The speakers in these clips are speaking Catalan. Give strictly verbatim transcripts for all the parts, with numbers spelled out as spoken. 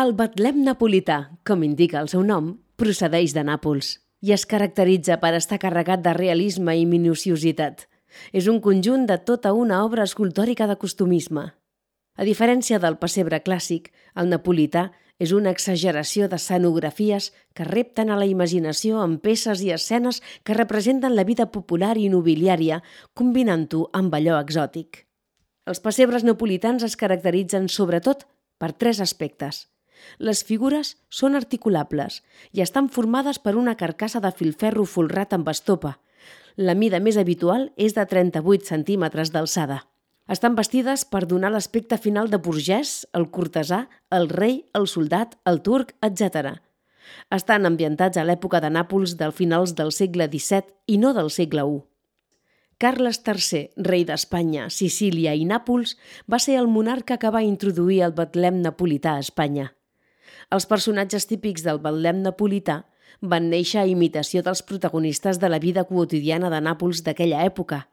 El Betlem napolità, com indica el seu nom, procedeix de Nàpols i es caracteritza per estar carregat de realisme i minuciositat. És un conjunt de tota una obra escultòrica de costumisme. A diferència del pessebre clàssic, el napolità és una exageració d'escenografies que repten a la imaginació amb peces i escenes que representen la vida popular i nobiliària, combinant-ho amb allò exòtic. Els pessebres napolitans es caracteritzen sobretot per tres aspectes. Les figures són articulables i estan formades per una carcassa de filferro folrat amb estopa. La mida més habitual és de trenta-vuit centímetres d'alçada. Estan vestides per donar l'aspecte final de burgès, el cortesà, el rei, el soldat, el turc, etcètera. Estan ambientats a l'època de Nàpols del finals del segle disset i no del segle u. Carles tercer, rei d'Espanya, Sicília i Nàpols, va ser el monarca que va introduir el Betlem napolità a Espanya. Els personatges típics del Betlem napolità van néixer a imitació dels protagonistes de la vida quotidiana de Nàpols d'aquella època.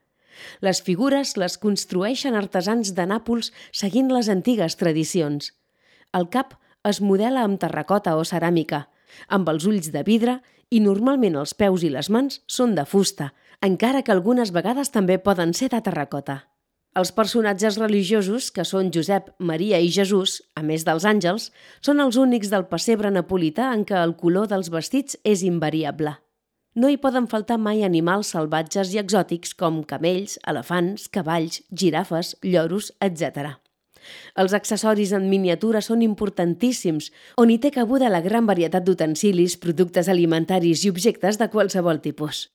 Les figures les construeixen artesans de Nàpols seguint les antigues tradicions. El cap es modela amb terracota o ceràmica, amb els ulls de vidre i normalment els peus i les mans són de fusta, encara que algunes vegades també poden ser de terracota. Els personatges religiosos, que són Josep, Maria i Jesús, a més dels àngels, són els únics del pessebre napolità en què el color dels vestits és invariable. No hi poden faltar mai animals salvatges i exòtics com camells, elefants, cavalls, girafes, lloros, etcètera. Els accessoris en miniatura són importantíssims, on hi té cabuda la gran varietat d'utensilis, productes alimentaris i objectes de qualsevol tipus.